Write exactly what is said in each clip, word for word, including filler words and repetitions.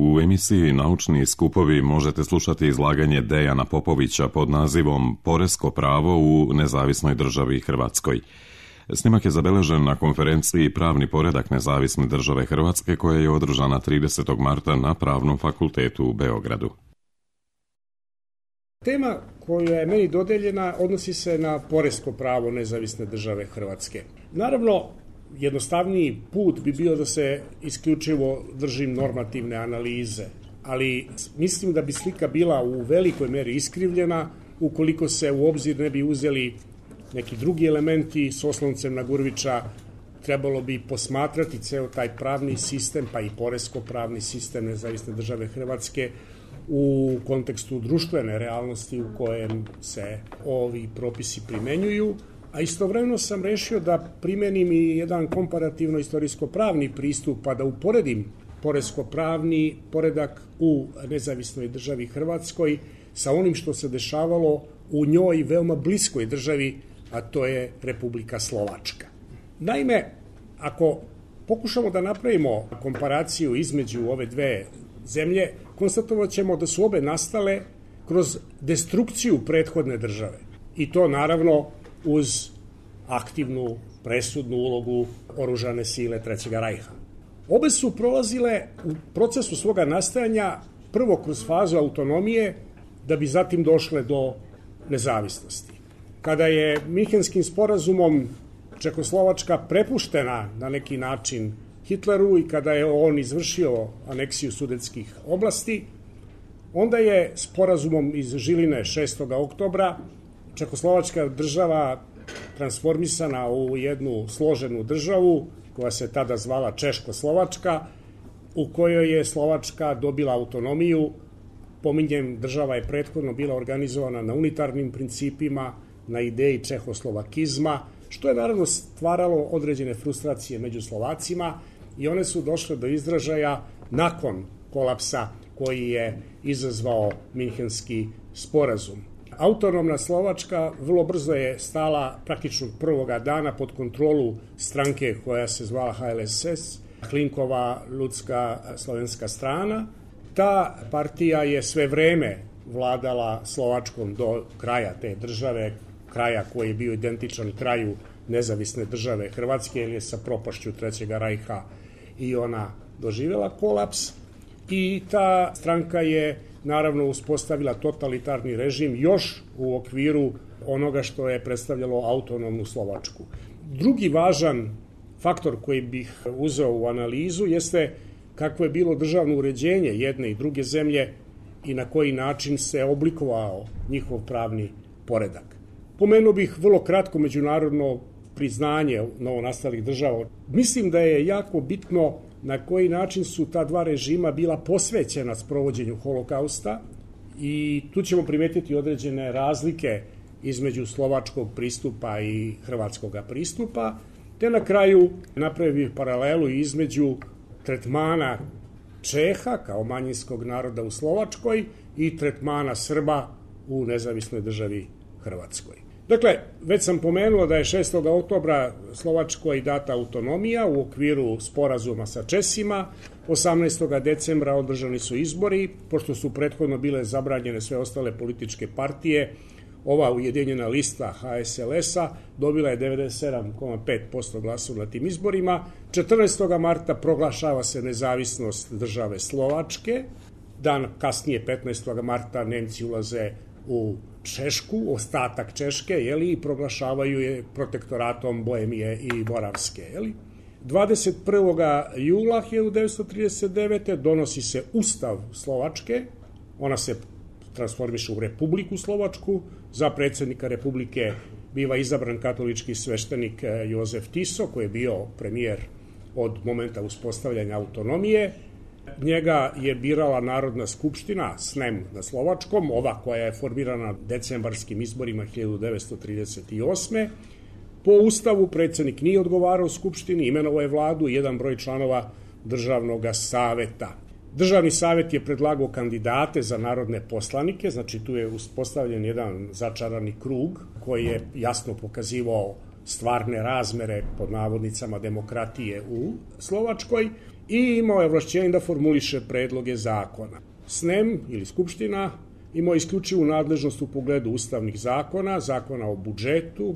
U emisiji Naučni skupovi možete slušati izlaganje Dejana Popovića pod nazivom Poresko pravo u nezavisnoj državi Hrvatskoj. Snimak je zabeležen na konferenciji Pravni poredak nezavisne države Hrvatske koja je održana tridesetog marta na Pravnom fakultetu u Beogradu. Tema koja je meni dodeljena odnosi se na poresko pravo nezavisne države Hrvatske. Naravno, jednostavniji put bi bio da se isključivo držim normativne analize, ali mislim da bi slika bila u velikoj meri iskrivljena ukoliko se u obzir ne bi uzeli neki drugi elementi. S osloncem na Gurvića trebalo bi posmatrati ceo taj pravni sistem, pa i poresko-pravni sistem nezavisne države Hrvatske u kontekstu društvene realnosti u kojem se ovi propisi primenjuju, a istovremeno sam rešio da primenim i jedan komparativno-istorijsko-pravni pristup, pa da uporedim poresko-pravni poredak u nezavisnoj državi Hrvatskoj sa onim što se dešavalo u njoj veoma bliskoj državi, a to je Republika Slovačka. Naime, ako pokušamo da napravimo komparaciju između ove dve zemlje, konstatovat ćemo da su obe nastale kroz destrukciju prethodne države. I to naravno uz aktivnu, presudnu ulogu oružane sile Trećega rajha. Obe su prolazile u procesu svoga nastajanja prvo kroz fazu autonomije, da bi zatim došle do nezavisnosti. Kada je Minhenskim sporazumom Čekoslovačka prepuštena na neki način Hitleru i kada je on izvršio aneksiju sudetskih oblasti, onda je sporazumom iz Žiline šestog oktobra Čekoslovačka država transformisana u jednu složenu državu koja se tada zvala Češko-Slovačka, u kojoj je Slovačka dobila autonomiju. Pominjem, država je prethodno bila organizovana na unitarnim principima, na ideji čehoslovakizma, što je naravno stvaralo određene frustracije među Slovacima i one su došle do izražaja nakon kolapsa koji je izazvao Minhenski sporazum. Autonomna Slovačka vrlo brzo je stala praktično prvoga dana pod kontrolu stranke koja se zvala H L S S, Hlinkova ljudska slovenska strana. Ta partija je sve vreme vladala Slovačkom do kraja te države, kraja koji je bio identičan kraju nezavisne države Hrvatske, jer je sa propašću Trećega rajha i ona doživjela kolaps. I ta stranka je naravno uspostavila totalitarni režim još u okviru onoga što je predstavljalo autonomnu Slovačku. Drugi važan faktor koji bih uzeo u analizu jeste kakvo je bilo državno uređenje jedne i druge zemlje i na koji način se oblikovao njihov pravni poredak. Pomenuo bih vrlo kratko međunarodno priznanje novonastalih država. Mislim da je jako bitno na koji način su ta dva režima bila posvećena sprovođenju holokausta i tu ćemo primetiti određene razlike između slovačkog pristupa i hrvatskog pristupa, te na kraju napravio paralelu između tretmana Čeha kao manjinskog naroda u Slovačkoj i tretmana Srba u nezavisnoj državi Hrvatskoj. Dakle, već sam pomenuo da je šestog oktobra Slovačkoj data autonomija u okviru sporazuma sa Česima. osamnaestog decembra održani su izbori, pošto su prethodno bile zabranjene sve ostale političke partije. Ova ujedinjena lista H S L S-a dobila je devedeset sedam zarez pet posto glasova na tim izborima. četrnaestog marta proglašava se nezavisnost države Slovačke. Dan kasnije, petnaestog marta, Nemci ulaze u Češku, ostatak Češke, jeli, i proglašavaju je protektoratom Bohemije i Moravske. Jeli. dvadeset prvog jula hiljadu devetsto trideset devete. donosi se Ustav Slovačke, ona se transformiše u Republiku Slovačku, za predsjednika Republike biva izabran katolički sveštenik Jozef Tiso, koji je bio premijer od momenta uspostavljanja autonomije. Njega je birala Narodna skupština, S N E M na slovačkom, ova koja je formirana decembarskim izborima hiljadu devetsto trideset osme. Po ustavu predsjednik nije odgovarao skupštini, imenovao je vladu i jedan broj članova državnog saveta. Državni savet je predlagao kandidate za narodne poslanike, znači tu je uspostavljen jedan začarani krug koji je jasno pokazivao stvarne razmere pod navodnicama demokratije u Slovačkoj i imao je ovlašćenje da formuliše predloge zakona. S N E M ili Skupština imao isključivu nadležnost u pogledu ustavnih zakona, zakona o budžetu,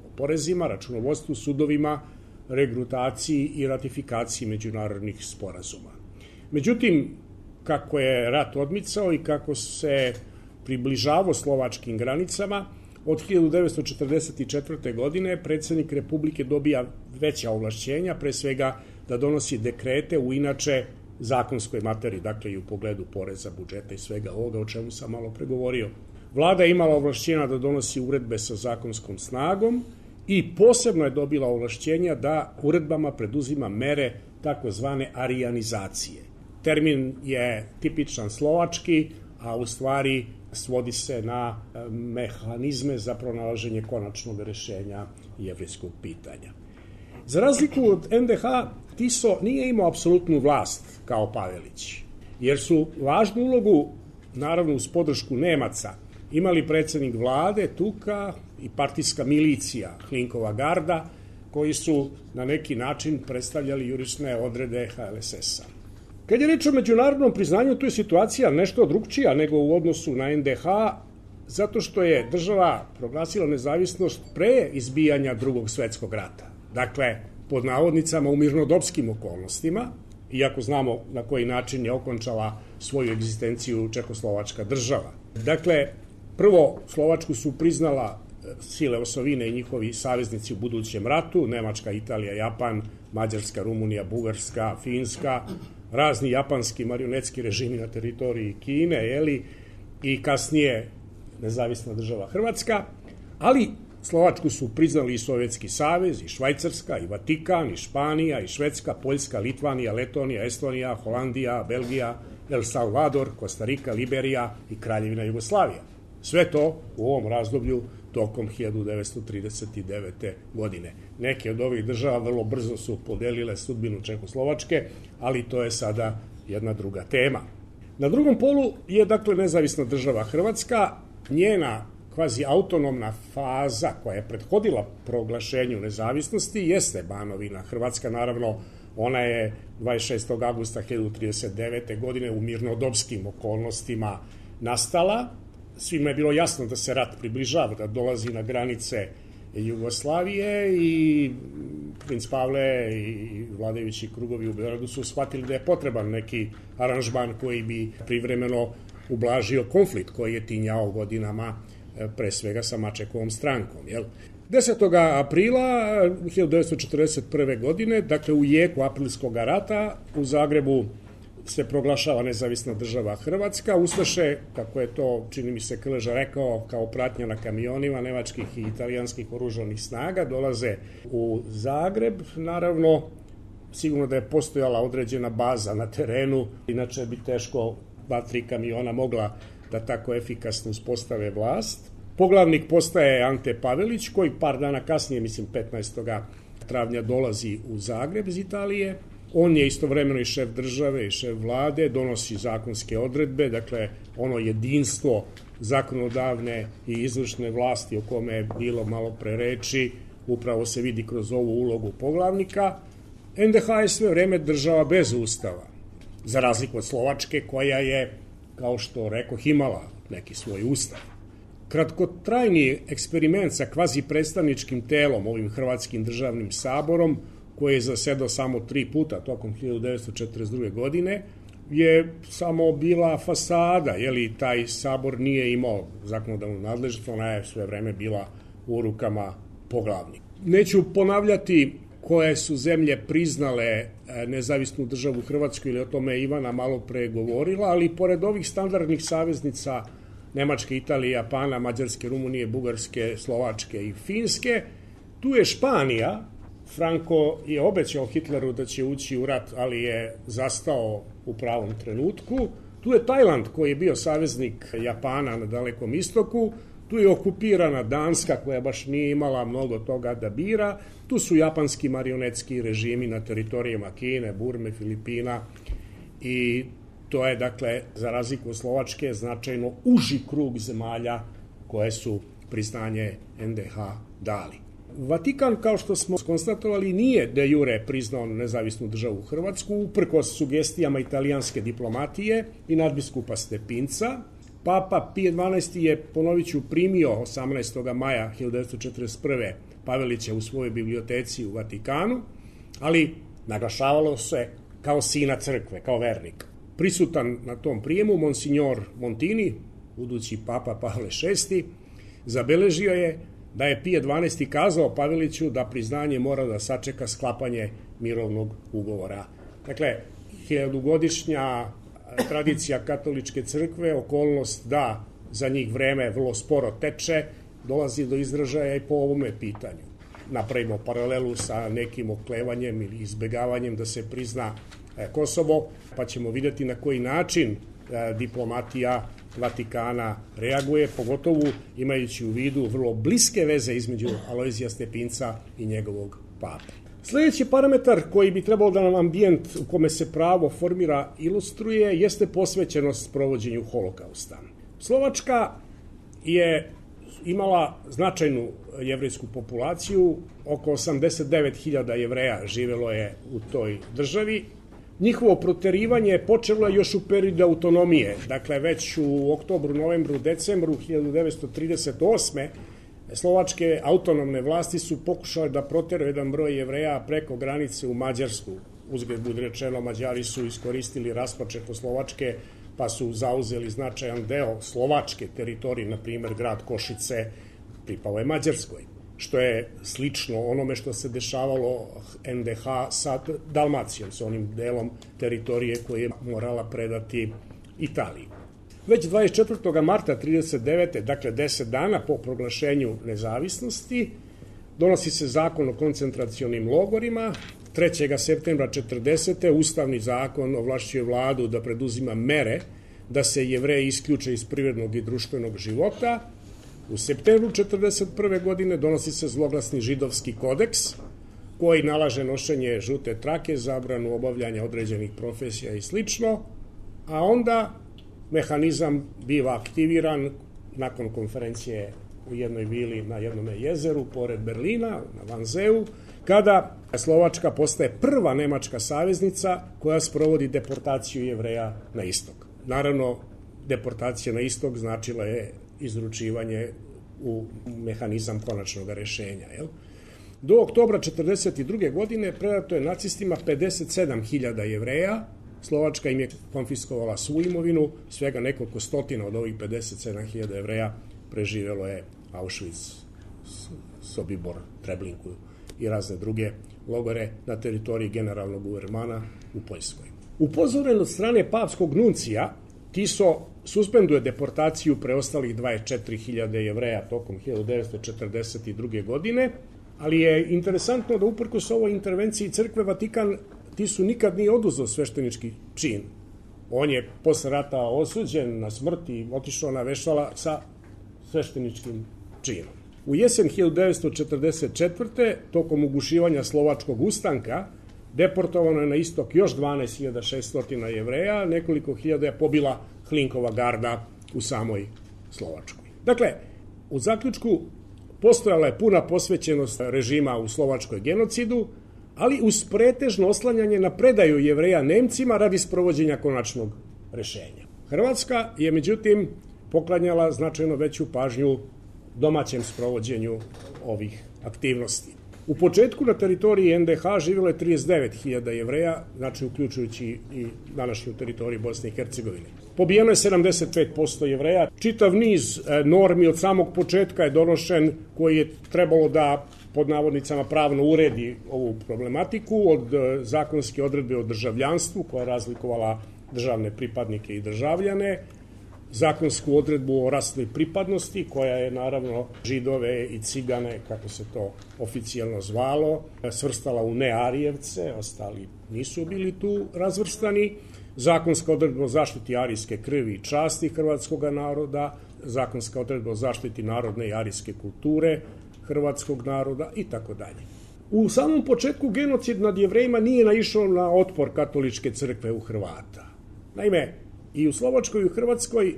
o porezima, računovodstvu, sudovima, regrutaciji i ratifikaciji međunarodnih sporazuma. Međutim, kako je rat odmicao i kako se približavao slovačkim granicama, od hiljadu devetsto četrdeset četvrte. godine predsjednik Republike dobija veća ovlašćenja, pre svega da donosi dekrete u inače zakonskoj materiji, dakle i u pogledu poreza, budžeta i svega ovoga o čemu sam malo pregovorio. Vlada je imala ovlašćenja da donosi uredbe sa zakonskom snagom i posebno je dobila ovlašćenja da uredbama preduzima mere takozvane arijanizacije. Termin je tipičan slovački, a u stvari svodi se na mehanizme za pronalaženje konačnog rešenja jevrejskog pitanja. Za razliku od en de ha, Tiso nije imao apsolutnu vlast kao Pavelić, jer su važnu ulogu, naravno uz podršku Nemaca, imali predsjednik vlade, Tuka i partijska milicija, Hlinkova garda, koji su na neki način predstavljali jurišne odrede ha el es es a. Kad je reč o međunarodnom priznanju, tu je situacija nešto drugčija nego u odnosu na en de ha, zato što je država proglasila nezavisnost pre izbijanja Drugog svetskog rata. Dakle, pod navodnicama u mirnodopskim okolnostima, iako znamo na koji način je okončala svoju egzistenciju Čekoslovačka država. Dakle, prvo Slovačku su priznala sile osovine i njihovi saveznici u budućem ratu, Nemačka, Italija, Japan, Mađarska, Rumunija, Bugarska, Finska, razni japanski marionetski režimi na teritoriji Kine, jeli, i kasnije nezavisna država Hrvatska, ali Slovačku su priznali i Sovjetski savez, i Švajcarska, i Vatikan, i Španija, i Švedska, Poljska, Litvanija, Letonija, Estonija, Holandija, Belgija, El Salvador, Kostarika, Liberija i Kraljevina Jugoslavija. Sve to u ovom razdoblju tokom hiljadu devetsto trideset devete. godine. Neke od ovih država vrlo brzo su podelile sudbinu Čekoslovačke, ali to je sada jedna druga tema. Na drugom polu je dakle nezavisna država Hrvatska, njena kvazi autonomna faza koja je prethodila proglašenju nezavisnosti jeste Banovina. Hrvatska, naravno, ona je dvadeset šestog avgusta hiljadu trideset devete. godine u mirnodopskim okolnostima nastala. Svima je bilo jasno da se rat približava, da dolazi na granice Jugoslavije i princ Pavle i vladajući krugovi u Beogradu su shvatili da je potreban neki aranžman koji bi privremeno ublažio konflikt koji je tinjao godinama pre svega sa Mačekovom strankom. Jel? desetog aprila hiljadu devetsto četrdeset prve. godine, dakle u jeku aprilskog rata, u Zagrebu se proglašava nezavisna država Hrvatska. Ustaše, kako je to, čini mi se, Krleža rekao, kao pratnja na kamionima nemačkih i italijanskih oružanih snaga, dolaze u Zagreb. Naravno, sigurno da je postojala određena baza na terenu, inače bi teško dva, tri kamiona mogla da tako efikasno uspostave vlast. Poglavnik postaje Ante Pavelić, koji par dana kasnije, mislim petnaestog travnja, dolazi u Zagreb iz Italije. On je istovremeno i šef države i šef vlade, donosi zakonske odredbe, dakle ono jedinstvo zakonodavne i izvršne vlasti o kome je bilo malo pre reči, upravo se vidi kroz ovu ulogu poglavnika. en de ha je sve vreme država bez ustava, za razliku od Slovačke koja je, kao što rekoh, imala neki svoj ustav. Kratkotrajni eksperiment sa kvazi predstavničkim telom, ovim Hrvatskim državnim saborom, koji je zasedao samo tri puta tokom hiljadu devetsto četrdeset druge. godine, je samo bila fasada, jeli taj sabor nije imao zakonodavnu nadležnost, ona je sve vreme bila u rukama poglavnika. Neću ponavljati koje su zemlje priznale nezavisnu državu Hrvatsku, ili o tome je Ivana malo pre govorila, ali pored ovih standardnih saveznica Nemačke, Italije, Japana, Mađarske, Rumunije, Bugarske, Slovačke i Finske, tu je Španija. Franko je obećao Hitleru da će ući u rat, ali je zastao u pravom trenutku. Tu je Tajland, koji je bio saveznik Japana na Dalekom istoku. Tu je okupirana Danska, koja baš nije imala mnogo toga da bira. Tu su japanski marionetski režimi na teritorijama Kine, Burme, Filipina. I to je, dakle, za razliku od Slovačke, značajno uži krug zemalja koje su priznanje en de ha dali. Vatikan, kao što smo konstatovali, nije de jure priznao nezavisnu državu Hrvatsku, uprkos sugestijama italijanske diplomatije i nadbiskupa Stepinca. Papa Pije dvanaesti je, ponovit ću, primio osamnaestog maja hiljadu devetsto četrdeset prve. Pavelića u svojoj biblioteci u Vatikanu, ali naglašavalo se kao sina crkve, kao vernik. Prisutan na tom prijemu Monsignor Montini, budući papa Pavle šesti, zabeležio je da je Pije dvanaesti kazao Paveliću da priznanje mora da sačeka sklapanje mirovnog ugovora. Dakle, hiljadugodišnja tradicija katoličke crkve, okolnost da za njih vreme vrlo sporo teče, dolazi do izražaja i po ovome pitanju. Napravimo paralelu sa nekim oklevanjem ili izbegavanjem da se prizna Kosovo, pa ćemo vidjeti na koji način diplomatija Vatikana reaguje, pogotovo imajući u vidu vrlo bliske veze između Alojzija Stepinca i njegovog pape. Sljedeći parametar koji bi trebalo da nam ambijent u kome se pravo formira ilustruje jeste posvećenost provođenju holokausta. Slovačka je imala značajnu jevrejsku populaciju, oko osamdeset devet hiljada Jevreja živelo je u toj državi. Njihovo proterivanje počelo je još u periodu autonomije, dakle već u oktobru, novembru, decembru hiljadu devetsto trideset osme. Slovačke autonomne vlasti su pokušale da proteraju jedan broj Jevreja preko granice u Mađarsku. Uzgled budi rečeno, Mađari su iskoristili raspad Čehoslovačke, pa su zauzeli značajan deo slovačke teritorije, na primjer grad Košice pripao je Mađarskoj, što je slično onome što se dešavalo en de ha sa Dalmacijom, sa onim delom teritorije koje je morala predati Italiji. Već dvadeset četvrtog marta trideset devete. dakle deset dana po proglašenju nezavisnosti, donosi se zakon o koncentracionim logorima. trećeg septembra četrdesete. Ustavni zakon ovlašćuje vladu da preduzima mere da se Jevreji isključe iz privrednog i društvenog života. U septembru četrdeset prve. godine donosi se zloglasni židovski kodeks koji nalaže nošenje žute trake, zabranu obavljanja određenih profesija i slično, a onda mehanizam biva aktiviran nakon konferencije u jednoj vili na jednom jezeru pored Berlina, na Vanzeu, kada Slovačka postaje prva nemačka saveznica koja sprovodi deportaciju Jevreja na istok. Naravno, deportacija na istok značila je izručivanje u mehanizam konačnog rešenja. Jel? Do oktobra četrdeset druge. godine predato je nacistima pedeset sedam hiljada Jevreja. Slovačka im je konfiskovala svu imovinu, svega nekoliko stotina od ovih pedeset sedam hiljada Jevreja preživjelo je Auschwitz, Sobibor, Treblinku i razne druge logore na teritoriji generalnog guvernmana u Poljskoj. Upozoren od strane papskog nuncija, Tiso suspenduje deportaciju preostalih dvadeset četiri hiljade Jevreja tokom hiljadu devetsto četrdeset druge. godine, ali je interesantno da uprkos ovoj intervenciji crkve Vatikan Tisu nikad nije oduzeo sveštenički čin. On je posle rata osuđen na smrt i otišao na vešala sa svešteničkim činom. U jesen hiljadu devetsto četrdeset četvrte. tokom ugušivanja slovačkog ustanka deportovano je na istok još dvanaest hiljada šesto Jevreja, nekoliko hiljada je pobila Hlinkova garda u samoj Slovačkoj. Dakle, u zaključku postojala je puna posvećenost režima u Slovačkoj genocidu, ali uz pretežno oslanjanje na predaju Jevreja Nemcima radi sprovođenja konačnog rešenja. Hrvatska je, međutim, poklanjala značajno veću pažnju domaćem sprovođenju ovih aktivnosti. U početku na teritoriji en de ha živjelo je trideset devet hiljada Jevreja, znači uključujući i današnju teritoriju Bosne i Hercegovine. Pobijeno je sedamdeset pet posto Jevreja. Čitav niz normi od samog početka je donošen koji je trebalo da pod navodnicama pravno uredi ovu problematiku, od zakonske odredbe o državljanstvu koja je razlikovala državne pripadnike i državljane, zakonsku odredbu o rasnoj pripadnosti koja je naravno Židove i Cigane, kako se to oficijalno zvalo, svrstala u nearijevce, ostali nisu bili tu razvrstani, zakonska odredba o zaštiti arijske krvi i časti hrvatskog naroda, zakonska odredba o zaštiti narodne i arijske kulture hrvatskog naroda i tako dalje. U samom početku genocid nad Jevrejima nije naišao na otpor katoličke crkve u Hrvata. Naime, i u Slovačkoj i u Hrvatskoj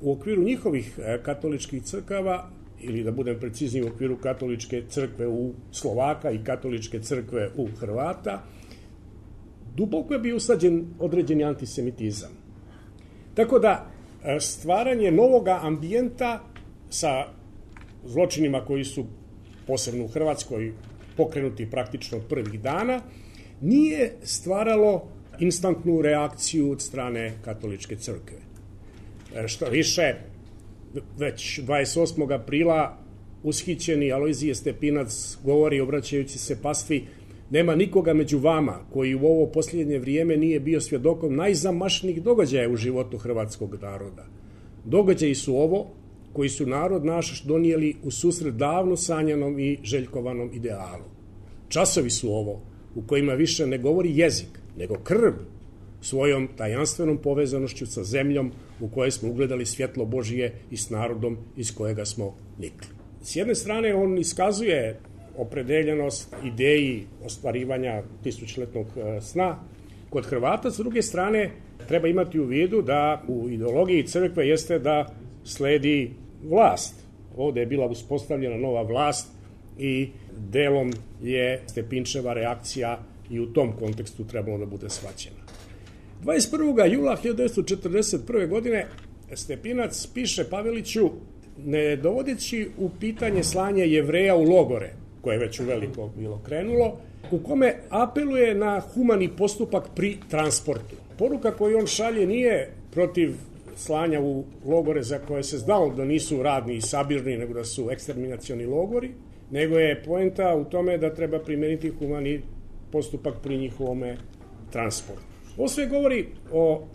u okviru njihovih katoličkih crkava ili da budem precizniji u okviru katoličke crkve u Slovaka i katoličke crkve u Hrvata, duboko je bio usađen određeni antisemitizam. Tako da stvaranje novoga ambijenta sa zločinima koji su posebno u Hrvatskoj pokrenuti praktično od prvih dana, nije stvaralo instantnu reakciju od strane katoličke crkve. Što više, već dvadeset osmog aprila ushićeni Alojzije Stepinac govori, obraćajući se pastvi: nema nikoga među vama koji u ovo posljednje vrijeme nije bio svjedokom najzamašnijih događaja u životu hrvatskog naroda. Događaji su ovo koji su narod naš donijeli u susret davno sanjanom i željkovanom idealu. Časovi su ovo u kojima više ne govori jezik, nego krv, svojom tajanstvenom povezanošću sa zemljom u kojoj smo ugledali svjetlo Božije i s narodom iz kojega smo nikli. S jedne strane on iskazuje opredeljenost ideji ostvarivanja tisućletnog sna kod Hrvata, s druge strane treba imati u vidu da u ideologiji crkve jeste da sledi vlast. Ovdje je bila uspostavljena nova vlast i delom je Stepinčeva reakcija i u tom kontekstu trebalo da bude shvaćena. dvadeset prvog jula hiljadu devetsto četrdeset prve. godine Stepinac piše Paveliću, ne dovodeći u pitanje slanje Jevreja u logore, koje je već uveliko bilo krenulo, u kome apeluje na humani postupak pri transportu. Poruka koju on šalje nije protiv slanja u logore za koje se znalo da nisu radni i sabirni, nego da su eksterminacioni logori, nego je poenta u tome da treba primeniti humani postupak pri njihovome transportu. Ovo sve govori o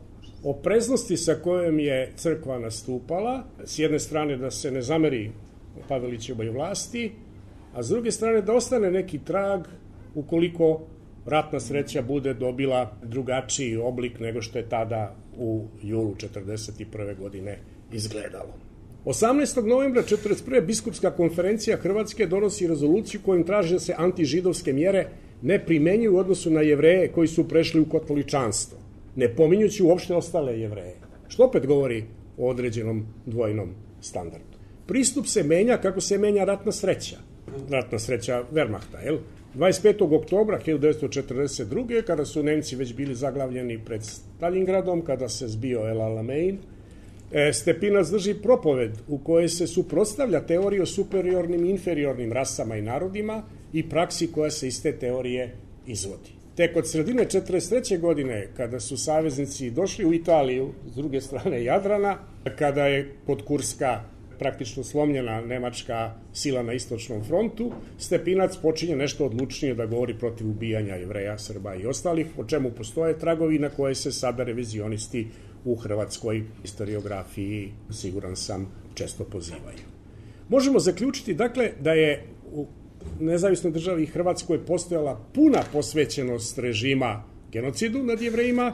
opreznosti sa kojom je crkva nastupala, s jedne strane da se ne zameri Pavelićevoj vlasti, a s druge strane da ostane neki trag ukoliko ratna sreća bude dobila drugačiji oblik nego što je tada u julu četrdeset prve. godine izgledalo. osamnaestog novembra četrdeset prve. biskupska konferencija Hrvatske donosi rezoluciju kojom traži da se antižidovske mjere ne primenjuju u odnosu na Jevreje koji su prešli u katoličanstvo, ne pominjući uopšte ostale Jevreje, što opet govori o određenom dvojnom standardu. Pristup se menja kako se menja ratna sreća. Ratna sreća Wehrmachta, jel? dvadeset petog oktobra hiljadu devetsto četrdeset druge. kada su Nemci već bili zaglavljeni pred Stalingradom, kada se zbio El Alamein, Stepinac drži propoved u kojoj se suprotstavlja teoriji o superiornim i inferiornim rasama i narodima i praksi koja se iz te teorije izvodi. Tek od sredine četrdeset treće. godine, kada su saveznici došli u Italiju, s druge strane Jadrana, kada je kod Kurska praktično slomljena nemačka sila na istočnom frontu, Stepinac počinje nešto odlučnije da govori protiv ubijanja Jevreja, Srba i ostalih, o čemu postoje tragovi na koje se sada revizionisti u hrvatskoj historiografiji, siguran sam, često pozivaju. Možemo zaključiti, dakle, da je u nezavisnoj državi Hrvatskoj postojala puna posvećenost režima genocidu nad Jevrejima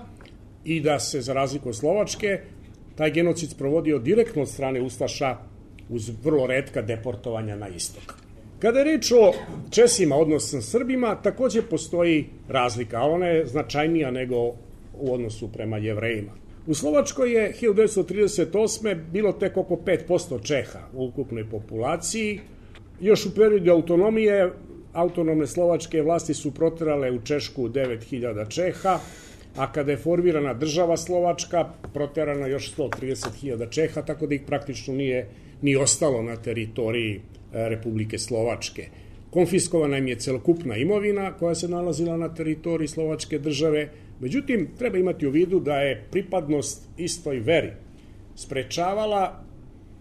i da se, za razliku od Slovačke, taj genocid sprovodio direktno od strane ustaša uz vrlo retka deportovanja na istok. Kada je reč o Česima, odnosno Srbima, također postoji razlika, a ona je značajnija nego u odnosu prema Jevrejima. U Slovačkoj je hiljadu devetsto trideset osme. bilo tek oko pet posto Čeha u ukupnoj populaciji. Još u periodu autonomije autonomne slovačke vlasti su proterale u Češku devet hiljada Čeha, a kada je formirana država Slovačka, proterano još sto trideset hiljada Čeha, tako da ih praktično nije ni ostalo na teritoriji Republike Slovačke. Konfiskovana im je celokupna imovina koja se nalazila na teritoriji Slovačke države, međutim, treba imati u vidu da je pripadnost istoj veri sprečavala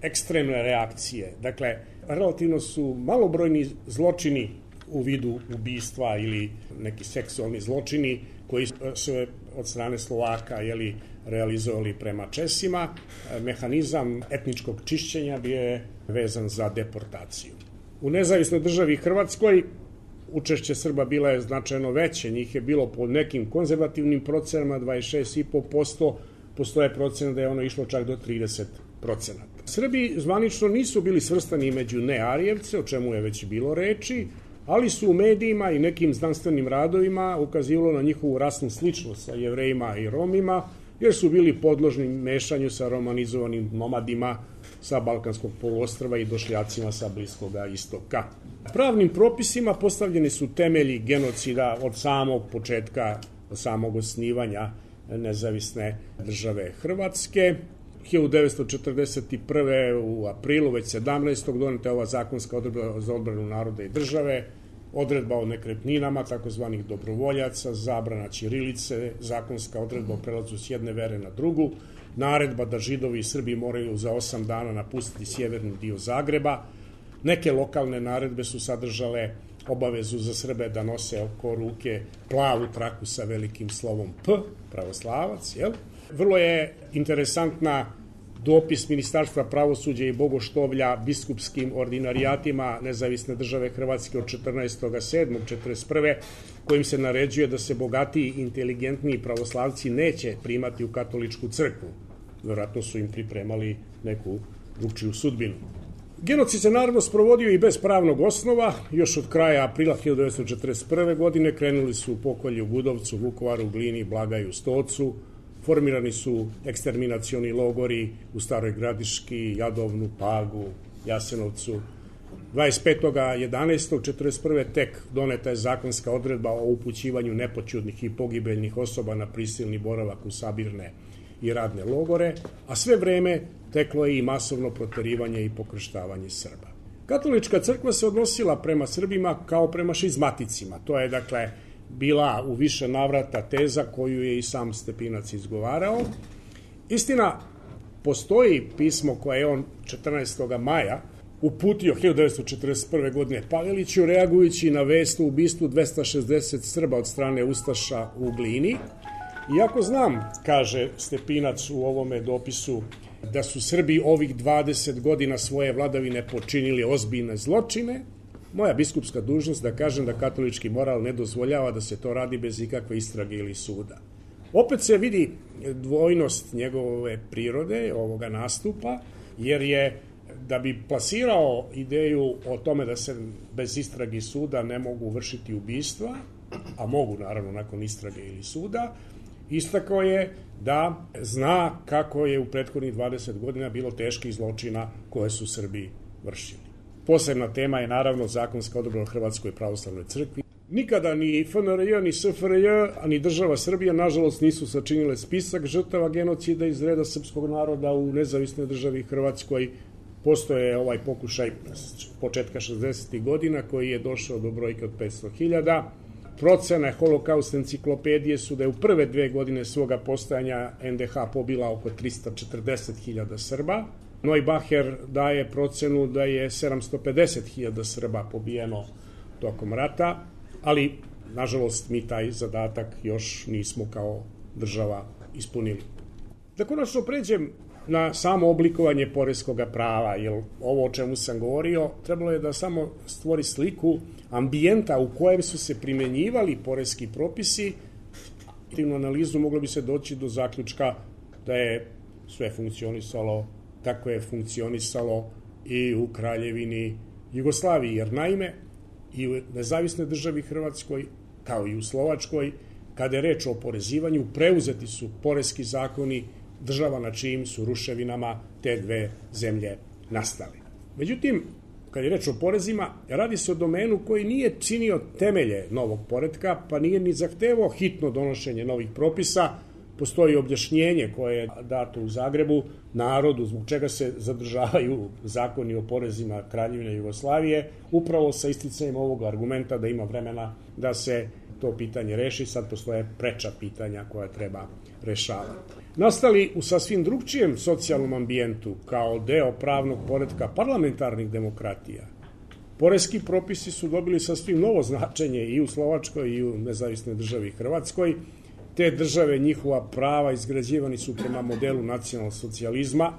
ekstremne reakcije. Dakle, relativno su malobrojni zločini u vidu ubistva ili neki seksualni zločini koji su od strane Slovaka jeli, realizovali prema Česima. Mehanizam etničkog čišćenja bio je vezan za deportaciju. U nezavisnoj državi Hrvatskoj učešće Srba bila je značajno veće, njih je bilo po nekim konzervativnim procenama dvadeset šest i po posto, postoje procena da je ono išlo čak do trideset procenata. Srbi zvanično nisu bili svrstani među nearijevce, o čemu je već bilo reči, ali su u medijima i nekim znanstvenim radovima ukazivalo na njihovu rasnu sličnost sa Jevrejima i Romima, jer su bili podložni mešanju sa romanizovanim nomadima sa Balkanskog poluostrva i došljacima sa Bliskoga istoka. Pravnim propisima postavljeni su temelji genocida od samog početka, od samog osnivanja nezavisne države Hrvatske. hiljadu devetsto četrdeset prve. u aprilu, već sedamnaestog doneta je ova zakonska odredba za odbranu naroda i države, odredba o nekretninama, takozvanih dobrovoljaca, zabrana ćirilice, zakonska odredba o prelazu s jedne vere na drugu, naredba da Židovi i Srbi moraju za osam dana napustiti sjeverni dio Zagreba. Neke lokalne naredbe su sadržale obavezu za Srbe da nose oko ruke plavu traku sa velikim slovom P, pravoslavac, jel? Vrlo je interesantna dopis Ministarstva pravosuđa i bogoštovlja biskupskim ordinarijatima Nezavisne države Hrvatske od četrnaestog sedmog četrdeset prve. kojim se naređuje da se bogatiji, inteligentniji pravoslavci neće primati u katoličku crkvu. Vjerojatno su im pripremali neku drugčiju sudbinu. Genocid se naravno sprovodio i bez pravnog osnova. Još od kraja aprila hiljadu devetsto četrdeset prve. godine krenuli su pokolji u Gudovcu, Vukovaru, Glini, Blagaju, Stocu. Formirani su eksterminacioni logori u Staroj Gradiški, Jadovnu, Pagu, Jasenovcu. dvadeset petog jedanaestog četrdeset prve. tek doneta je zakonska odredba o upućivanju nepoćudnih i pogibeljnih osoba na prisilni boravak u sabirne i radne logore, a sve vreme teklo je i masovno proterivanje i pokrštavanje Srba. Katolička crkva se odnosila prema Srbima kao prema šizmaticima. To je, dakle, bila u više navrata teza koju je i sam Stepinac izgovarao. Istina, postoji pismo koje je on četrnaestog maja uputio hiljadu devetsto četrdeset prve. godine Paveliću, reagujući na vest o ubistvu dvesta šezdeset Srba od strane ustaša u Glini. Iako znam, kaže Stepinac u ovome dopisu, da su Srbi ovih dvadeset godina svoje vladavine počinili ozbiljne zločine, moja biskupska dužnost da kažem da katolički moral ne dozvoljava da se to radi bez ikakve istrage ili suda. Opet se vidi dvojnost njegove prirode, ovoga nastupa, jer je, da bi plasirao ideju o tome da se bez istrage i suda ne mogu vršiti ubistva, a mogu naravno nakon istrage ili suda, istakao je da zna kako je u prethodnih dvadeset godina bilo teških zločina koje su Srbi vršili. Posebna tema je naravno zakonska odredba o Hrvatskoj pravoslavnoj crkvi. Nikada ni F N R J, ni S F R J, a ni država Srbija, nažalost, nisu sačinile spisak žrtava genocida iz reda srpskog naroda u nezavisnoj državi Hrvatskoj. Postoje ovaj pokušaj početka šezdesetih godina koji je došao do brojke od petsto hiljada. Procene Holokaust enciklopedije su da je u prve dve godine svoga postojanja N D H pobila oko trista četrdeset hiljada Srba. Neubacher daje procenu da je sedamsto pedeset hiljada Srba pobijeno tokom rata, ali, nažalost, mi taj zadatak još nismo kao država ispunili. Da konačno pređem na samo oblikovanje poreskog prava, jer ovo o čemu sam govorio trebalo je da samo stvori sliku ambijenta u kojem su se primjenjivali poreski propisi. Aktivnu analizu moglo bi se doći do zaključka da je sve funkcionisalo kako je funkcionisalo i u Kraljevini Jugoslaviji, jer naime i u nezavisnoj državi Hrvatskoj, kao i u Slovačkoj, kada je reč o oporezivanju, preuzeti su poreski zakoni država na čijim su ruševinama te dve zemlje nastale. Međutim, kad je reč o porezima, radi se o domenu koji nije činio temelje novog poretka, pa nije ni zahtevao hitno donošenje novih propisa. Postoji objašnjenje koje je dato u Zagrebu narodu zbog čega se zadržavaju zakoni o porezima Kraljevine Jugoslavije, upravo sa isticanjem ovog argumenta da ima vremena da se to pitanje reši. Sad postoje preča pitanja koja treba rešavati. Nastali u sasvim drugčijem socijalnom ambijentu kao deo pravnog poretka parlamentarnih demokratija, poreski propisi su dobili sasvim novo značenje i u Slovačkoj i u nezavisnoj državi Hrvatskoj. Te države, njihova prava izgrađivani su prema modelu nacionalnog socijalizma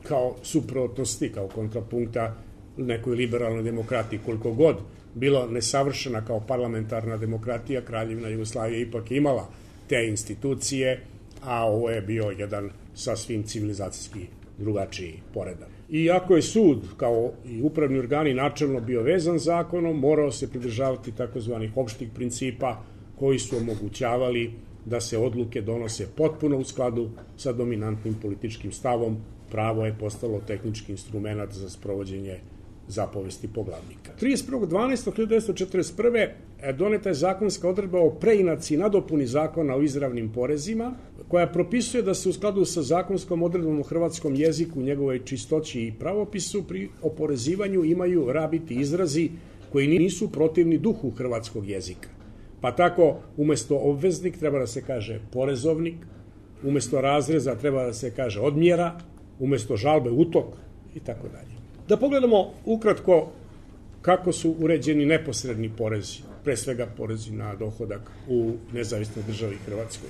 kao suprotnosti, kao kontrapunkta nekoj liberalnoj demokratiji. Koliko god bilo nesavršena kao parlamentarna demokratija, Kraljevina Jugoslavija ipak imala te institucije, a ovo je bio jedan sasvim civilizacijski drugačiji poredak. Iako je sud, kao i upravni organi, načelno bio vezan zakonom, morao se pridržavati takozvanih opštih principa koji su omogućavali da se odluke donose potpuno u skladu sa dominantnim političkim stavom. Pravo je postalo tehnički instrument za sprovođenje zapovesti poglavnika. trideset prvog decembra hiljadu devetsto četrdeset prve. doneta je zakonska odredba o preinaci i nadopuni zakona o izravnim porezima, koja propisuje da se u skladu sa zakonskom odredbom o hrvatskom jeziku, njegovoj čistoći i pravopisu pri oporezivanju imaju rabiti izrazi koji nisu protivni duhu hrvatskog jezika. Pa tako, umesto obveznik treba da se kaže porezovnik, umesto razreza treba da se kaže odmjera, umesto žalbe utok i tako dalje. Da pogledamo ukratko kako su uređeni neposredni porezi, pre svega porezi na dohodak u nezavisnoj državi Hrvatskoj.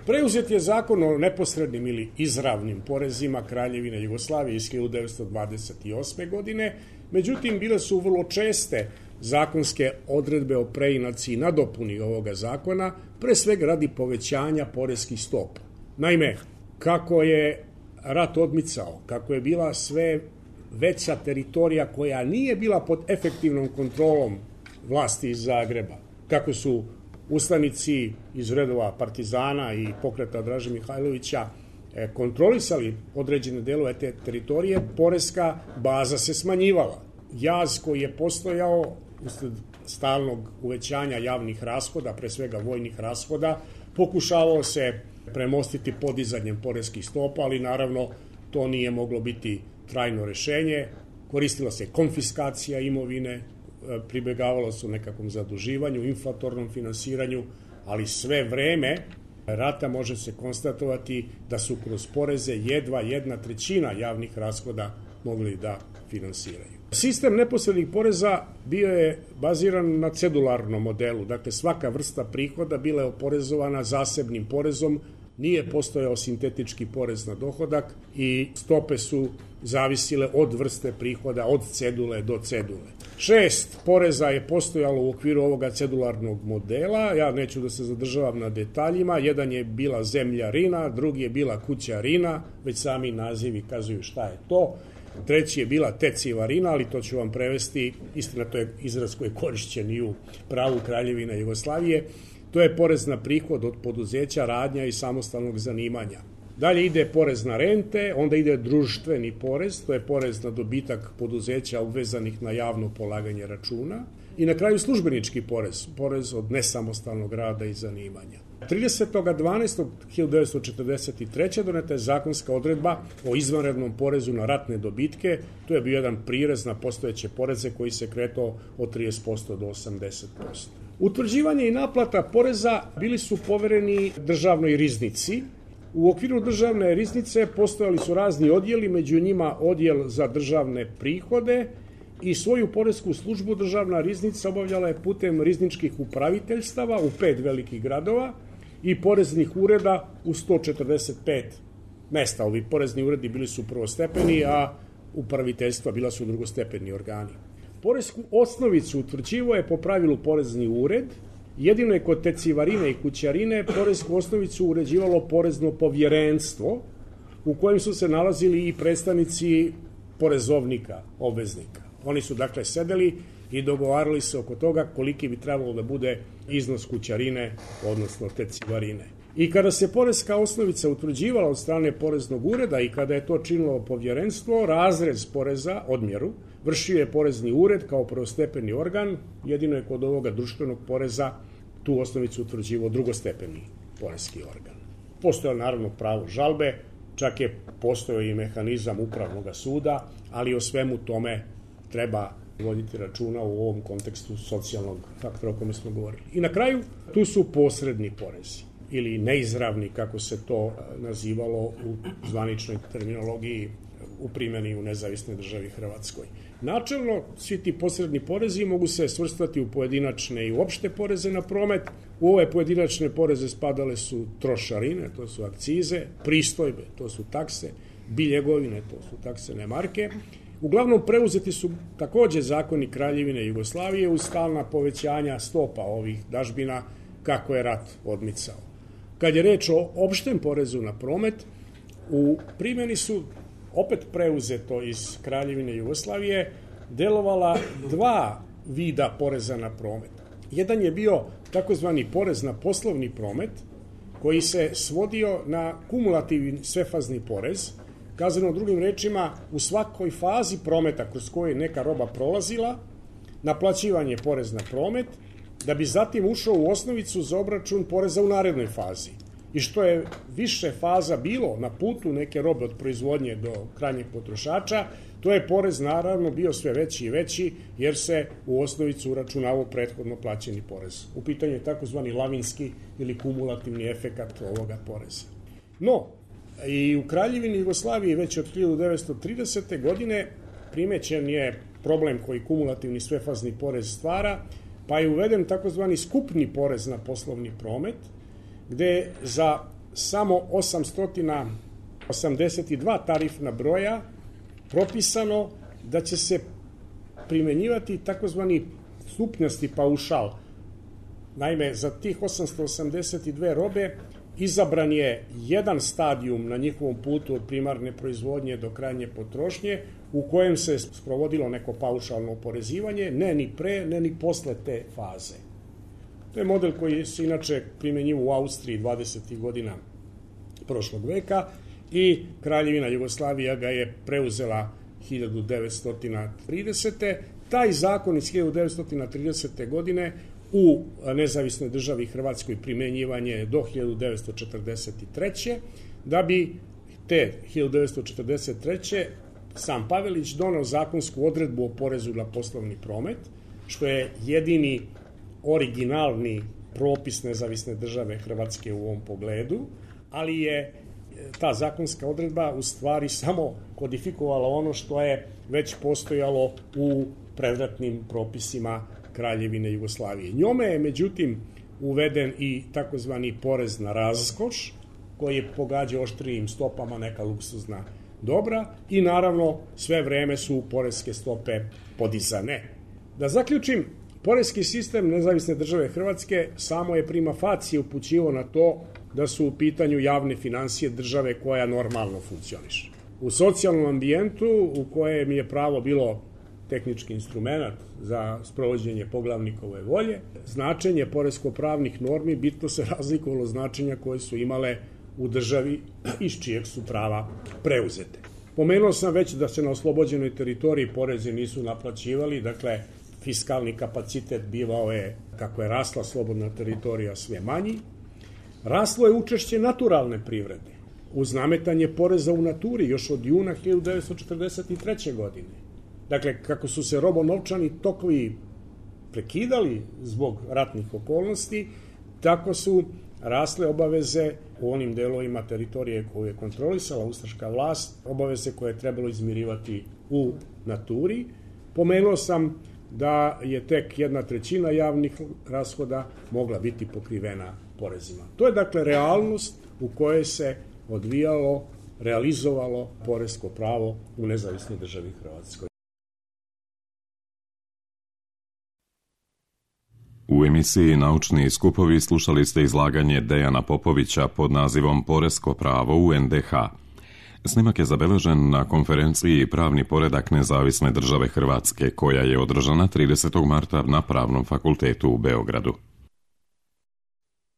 Preuzet je zakon o neposrednim ili izravnim porezima Kraljevine Jugoslavije iz hiljadu devetsto dvadeset osme. godine, međutim bile su vrlo česte zakonske odredbe o preinaci i nadopuni ovoga zakona, pre svega radi povećanja poreskih stopa. Naime, kako je rat odmicao, kako je bila sve veća teritorija koja nije bila pod efektivnom kontrolom vlasti iz Zagreba, kako su ustanici iz redova partizana i pokreta Draže Mihajlovića kontrolisali određene delove te teritorije, poreska baza se smanjivala. Jaz koji je postojao usled stalnog uvećanja javnih rashoda, pre svega vojnih rashoda, pokušavao se premostiti podizanjem poreskih stopa, ali naravno to nije moglo biti trajno rešenje. Koristila se konfiskacija imovine, pribegavalo se u nekakvom zaduživanju, inflatornom finansiranju, ali sve vreme rata može se konstatovati da su kroz poreze jedva jedna trećina javnih rashoda mogli da finansiraju. Sistem neposrednih poreza bio je baziran na cedularnom modelu, dakle svaka vrsta prihoda bila je oporezovana zasebnim porezom, nije postojao sintetički porez na dohodak i stope su zavisile od vrste prihoda, od cedule do cedule. Šest poreza je postojalo u okviru ovoga cedularnog modela, ja neću da se zadržavam na detaljima, jedan je bila zemljarina, drugi je bila kućarina, već sami nazivi kazuju šta je to, treći je bila tecivarina, ali to ću vam prevesti, istina to je izraz koji je korišćen i u pravu Kraljevine Jugoslavije. To je porez na prihod od poduzeća, radnja i samostalnog zanimanja. Dalje ide porez na rente, onda ide društveni porez, to je porez na dobitak poduzeća obvezanih na javno polaganje računa. I na kraju službenički porez, porez od nesamostalnog rada i zanimanja. tridesetog decembra hiljadu devetsto četrdeset treće. doneta je zakonska odredba o izvanrednom porezu na ratne dobitke. To je bio jedan prirez na postojeće poreze koji se kretao od trideset posto do osamdeset posto. Utvrđivanje i naplata poreza bili su povereni državnoj riznici. U okviru državne riznice postojali su razni odjeli, među njima odjel za državne prihode i svoju poresku službu državna riznica obavljala je putem rizničkih upraviteljstava u pet velikih gradova i poreznih ureda u sto četrdeset pet mesta. Ovi porezni uredi bili su prvostepeni, a upraviteljstva bila su drugostepeni organi. Poresku osnovicu utvrđivao je po pravilu porezni ured, jedino je kod tecivarine i kućarine poresku osnovicu uređivalo porezno povjerenstvo u kojem su se nalazili i predstavnici porezovnika, obveznika. Oni su dakle sedeli i dogovarali se oko toga koliki bi trebalo da bude iznos kućarine, odnosno tecivarine. I kada se poreska osnovica utvrđivala od strane poreznog ureda i kada je to činilo povjerenstvo, razrez poreza, odmjeru, vršio je porezni ured kao prvostepeni organ, jedino je kod ovoga društvenog poreza tu osnovicu utvrđivao drugostepeni poreski organ. Postojalo naravno pravo žalbe, čak je postojao i mehanizam upravnog suda, ali o svemu tome treba voditi računa u ovom kontekstu socijalnog faktora o kome smo govorili. I na kraju, tu su posredni porezi ili neizravni, kako se to nazivalo u zvaničnoj terminologiji u primjeni u nezavisnoj državi Hrvatskoj. Načelno, svi ti posredni porezi mogu se svrstati u pojedinačne i uopšte poreze na promet. U ove pojedinačne poreze spadale su trošarine, to su akcize, pristojbe, to su takse, biljegovine, to su taksene marke. Uglavnom preuzeti su takođe zakoni Kraljevine Jugoslavije uz stalna povećanja stopa ovih dažbina kako je rat odmicao. Kad je reč o opštem porezu na promet, u primjeni su opet preuzeto iz Kraljevine Jugoslavije delovala dva vida poreza na promet. Jedan je bio takozvani porez na poslovni promet koji se svodio na kumulativni svefazni porez. Kazano drugim rečima, u svakoj fazi prometa kroz koju je neka roba prolazila, naplaćivan je porez na promet, da bi zatim ušao u osnovicu za obračun poreza u narednoj fazi. I što je više faza bilo na putu neke robe od proizvodnje do krajnjeg potrošača, to je porez naravno bio sve veći i veći, jer se u osnovicu uračunavao prethodno plaćeni porez. U pitanju je takozvani lavinski ili kumulativni efekat ovoga poreza. No, i u Kraljevini Jugoslaviji već od hiljadu devetsto tridesete. godine primećen je problem koji kumulativni svefazni porez stvara, pa je uveden takozvani skupni porez na poslovni promet, gde za samo osamsto osamdeset dva tarifna broja propisano da će se primenjivati takozvani stupnjasti paušal. Naime, za tih osamsto osamdeset dve robe izabran je jedan stadijum na njihovom putu od primarne proizvodnje do krajnje potrošnje, u kojem se sprovodilo neko paušalno oporezivanje, ne ni pre, ne ni posle te faze. To je model koji se inače primenjivao u Austriji dvadesetih godina prošlog veka i Kraljevina Jugoslavija ga je preuzela hiljadu devetsto tridesete. Taj zakon iz hiljadu devetsto tridesete. godine u nezavisnoj državi Hrvatskoj primenjivan je do hiljadu devetsto četrdeset treće. Da bi te hiljadu devetsto četrdeset treće. sam Pavelić doneo zakonsku odredbu o porezu na poslovni promet, što je jedini originalni propis nezavisne države Hrvatske u ovom pogledu, ali je ta zakonska odredba u stvari samo kodifikovala ono što je već postojalo u predratnim propisima Kraljevine Jugoslavije. Njome je međutim uveden i takozvani porez na raskoš, koji je pogađao oštrijim stopama neka luksuzna dobra i naravno sve vreme su poreske stope podizane. Da zaključim, poreski sistem nezavisne države Hrvatske samo je prima facie upućivao na to da su u pitanju javne finansije države koja normalno funkcioniše. U socijalnom ambijentu u kojem je pravo bilo tehnički instrument za sprovođenje poglavnikove volje, značenje poresko-pravnih normi bitno se razlikovalo značenja koje su imale u državi iz čijeg su prava preuzete. Pomenuo sam već da se na oslobođenoj teritoriji porezi nisu naplaćivali, dakle fiskalni kapacitet bivao je, kako je rasla slobodna teritorija, sve manji. Raslo je učešće naturalne privrede uz nametanje poreza u naturi još od juna hiljadu devetsto četrdeset treće. godine. Dakle, kako su se robonovčani tokovi prekidali zbog ratnih okolnosti, tako su rasle obaveze u onim delovima teritorije koju je kontrolisala ustaška vlast, obaveze koje je trebalo izmirivati u naturi. Pomenuo sam da je tek jedna trećina javnih rashoda mogla biti pokrivena porezima. To je dakle realnost u kojoj se odvijalo, realizovalo poresko pravo u nezavisnoj državi Hrvatskoj. U emisiji Naučni skupovi slušali ste izlaganje Dejana Popovića pod nazivom Poresko pravo u en de ha. Snimak je zabeležen na konferenciji Pravni poredak nezavisne države Hrvatske, koja je održana tridesetog marta na Pravnom fakultetu u Beogradu.